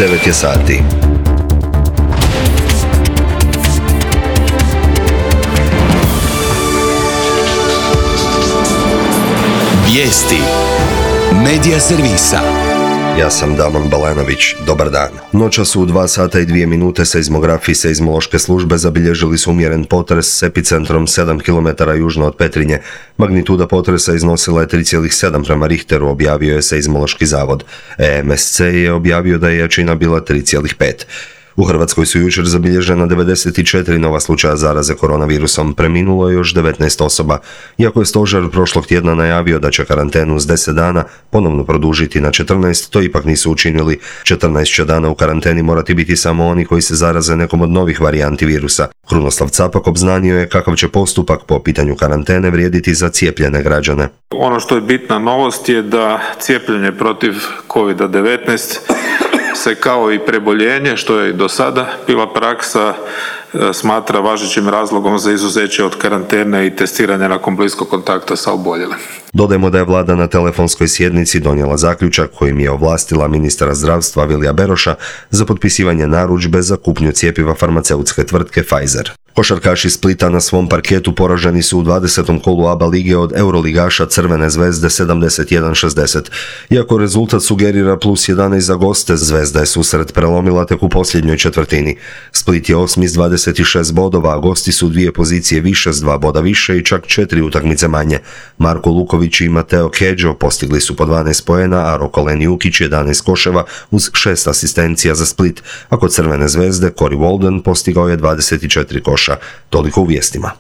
9 je sati. Vijesti Medija servisa. Ja sam Damon Balanović, dobar dan. Noća su u 2 sata i 2 minute seizmografi seizmološke službe zabilježili su umjeren potres s epicentrom 7 km južno od Petrinje. Magnituda potresa iznosila je 3,7 prema Richteru, objavio je seizmološki zavod. EMSC je objavio da je jačina bila 3,5. U Hrvatskoj su jučer zabilježena 94 nova slučaja zaraze koronavirusom, preminulo je još 19 osoba. Iako je stožer prošlog tjedna najavio da će karantenu s 10 dana ponovno produžiti na 14, to ipak nisu učinili. 14 će dana u karanteni morati biti samo oni koji se zaraze nekom od novih varijanti virusa. Krunoslav Capak obznanio je kakav će postupak po pitanju karantene vrijediti za cijepljene građane. Ono što je bitna novost je da cijepljenje protiv COVID-19 se kao i preboljenje, što je i do sada bila praksa, smatra važećim razlogom za izuzeće od karantene i testiranja nakon bliskog kontakta sa oboljelim. Dodajmo da je vlada na telefonskoj sjednici donijela zaključak kojim je ovlastila ministra zdravstva Vilija Beroša za potpisivanje narudžbe za kupnju cjepiva farmaceutske tvrtke Pfizer. Košarkaši Splita na svom parketu poraženi su u 20. kolu ABA lige od euroligaša Crvene zvezde 71-60. Iako rezultat sugerira plus 11 za goste, Zvezda je susret prelomila tek u posljednjoj četvrtini. Split je 8 s 26 bodova, a gosti su 2 pozicije više s 2 boda više i čak 4 utakmice manje. Marko Luković i Mateo Kedžo postigli su po 12 poena, a Rokolen Jukić 11 koševa uz 6 asistencija za Split, a kod Crvene zvezde Corey Walden postigao je 24 koša. Toliko u vijestima.